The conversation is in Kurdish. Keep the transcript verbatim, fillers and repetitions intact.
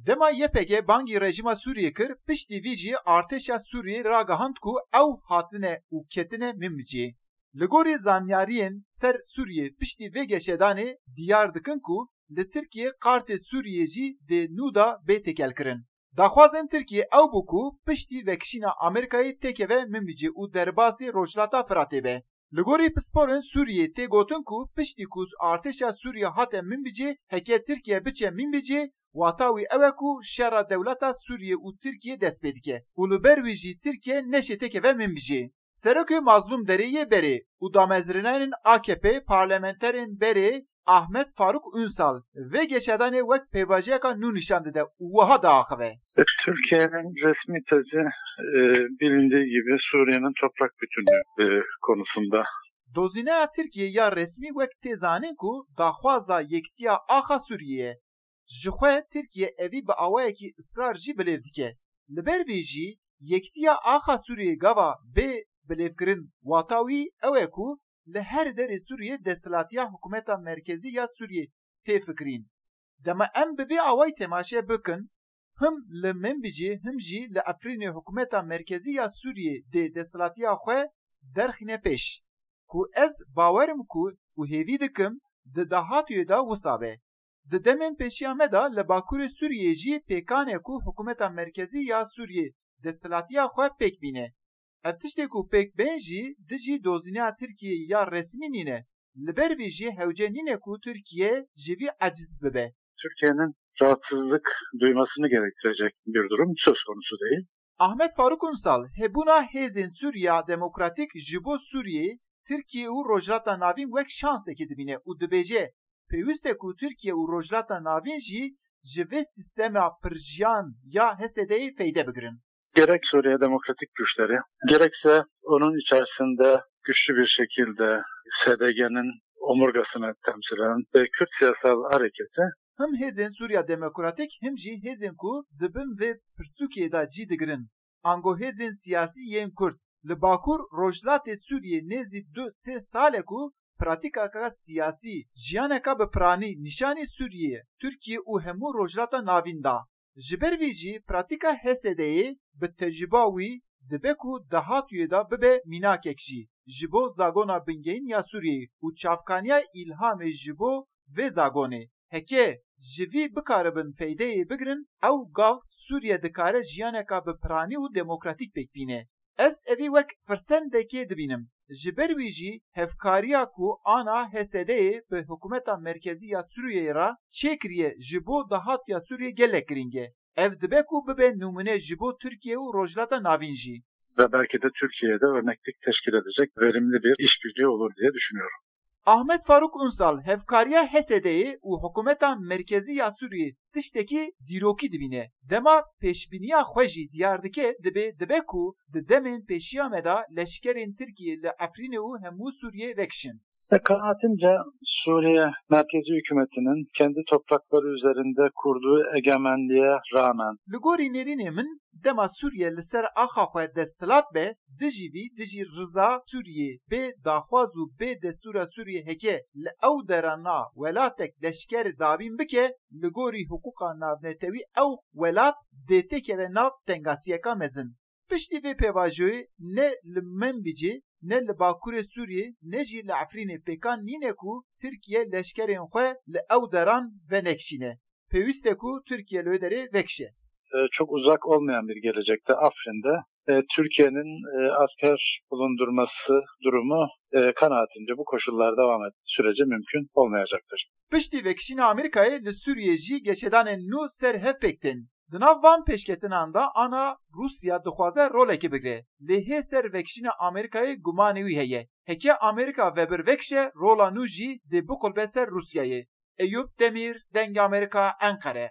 Dema Y P G bangî rejîma Sûriyê kir, piştî vî jî artêşa Sûriyê ragihand ku ew hatine û ketine Minbicê. Li gorî zanyariyên ser Sûriyê, piştî vê geşedanê diyar dikin ku li Tirkiyê qartê Sûriyê jî dê nû de bê têkelkirin. Daxwazên Tirkiyê ew bû ku piştî vekişîna Amerîkayê têkeve Minbicê û derbasî Rojhilata Firatê be. Li gorî pisporên Sûriyê tê gotin ku piştî ku artêşa Sûriye hate Minbicê, heke Tirkiye biçe Minbicê, wata wî ew e ku şera dewleta Sûriye û Tirkiye dest pê dike û li ber wî jî Tirkiye neşê têkeve Minbicê. Serokê Mazlûm Derê yê berê û damezrînanên A K P parlamenterên berê Ahmet Faruk Ünsal vê geşedanê wek pêvajoyeka nû nîşan dide û wiha diaxive. Türkiye'nin resmi tezi, e, bilindiği gibi Suriye'nin toprak bütünlüğü, e, konusunda. Dozîneya Tirkiyê ya resmî wek tê zanîn ku daxwaza yekitiya axa Sûriyê ye. Ji xwe Tirkiye evî bi awayekî israr jî bilêv dike. Li ber vê jî yekitiya axa Sûriyê gava bê bilêvkirin, wata wî ew e ku li her derê Sûriyê desthilatiya hikûmeta merkezî ya Sûriyê tê fikirîn. Dema em bi vê awayî temaşe bikin, him li Minbicê him jî li Efrînê hikûmeta merkezî ya Sûriyê dê desthilatiya xwe derxîne pêş. Ku ez bawer im ku û hêvî dikim di dahatûyê de wisa be. Di demên pêşiya me de li Bakurê Sûriyê jî pêkan e ku hikûmeta merkezî ya Sûriyê desthilatiya xwe pêk bîne. Ev tiştê ku pêk bên jî dijî dozîneya Tirkiyê ya resmî nîne. Li ber vê jî hewce nîne ku Tirkiye ji vî eciz bibe. Türkiye'nin rahatsızlık duymasını gerektirecek bir durum söz konusu değil. Ahmet Faruk Ünsal, hebûna hêzên Sûriya Demokratîk ji bo Sûriyê, Tirkiye û Rojhilata Navîn wek şansekê dibîne û dibêje, pêwîst e ku Tirkiye û Rojhilata Navîn jî ji vê sîstema pirjiyan ya H S D'yê feyde bigirin. Gerek Suriye Demokratik Güçleri, gerekse onun içerisinde güçlü bir şekilde S D G'nin omurgasını temsil eden ve Kürt Siyasal Hareketi. Him hêzên Sûriya Demokratîk him jî hêzên ku di bin vê pirsûkê de cî digirin, ango hêzên siyasî yên Kurd, li Bakur Rojhilatê Sûriyê nêzî du sê sal e ku pratîkaka siyasî, jiyaneka bi piranî nîşanî Sûriyê, Tirkiye û hemû Rojhilata Navîn da. Ji ber vî jî pratîka H S D'yê bi tecrûba wî dibe ku dahatûyê de bibe mînakek jî ji bo zagona bingehîn ya Sûriyeyê û çavkaniya îlhamê ji bo vê zagonê. Heke ji vî bikaribin feydeyê bigirin, ew gav Sûriye dikare jiyaneka bi piranî û demokratîk pêk bîne. Ez evî wek firsendekê dibînim. Ji ber wî jî hevkariya ku ana H S D'yê bi hikûmeta merkezî ya Sûriyeyê re çêkiriye ji bo dahatûya Sûriyê gelek girîng e. Ev dibe ku bibe nimûne ji bo Tirkiye û Rojhilata Navîn jî. Ve belki de Türkiye'de örneklik teşkil edecek verimli bir işbirliği olur diye düşünüyorum. Ahmet Faruk Ünsal hevkariya H S D'yê û hikûmeta merkezî ya Sûriyê tiştekî dîrokî dibîne. Dema pêşbîniya xwe jî diyar dike, dibê dibe ku di demên pêşiya me de leşkerên Tirkiyê li Efrînê û hemû Sûriyê vekişin. Ve kanaatimce Suriye merkezi hükümetinin kendi toprakları üzerinde kurduğu egemenliğe rağmen. Li gorî nêrînê min, dema Sûriye li ser axa xwe desthilat be, dijî vî, dijî riza Sûriyê bê daxwaz û bê destûra Sûriyê heke li ew dera na welatek leşker dabîn bike, li gorî hiqûqa navnetewî ew welat dê têkeve nav tengasiyeka mezin. Piştî vê pêvajoyê ne li Menbicê, ne li Bakurê Sûriyê, ne jî li Efrînê pêkan nîne ku Tirkiye leşkerên xwe li ew deran venekişîne. Pêwîst e ku Tirkiye li wê derê vekişe. E, çok uzak olmayan bir gelecekte Afrin'de, e, Türkiye'nin, e, asker bulundurması durumu, e, kanaatimce bu koşullar devam ettiği sürece mümkün olmayacaktır. Piştî vekişîna Amerîkayê li Sûriyê jî geşedanên nû ser hev pêk tên. Di nav van pêşketinan de ana Rûsya dixwaze rolekê bigire. Lê hê ser vekişîna Amerîkayê gumanê wî heye. Heke Amerîka vebir vekişe, rola nû jî dê biqulbe ser Rûsyayê. Eyûp Demîr, Dengê Amerîka, Enqere.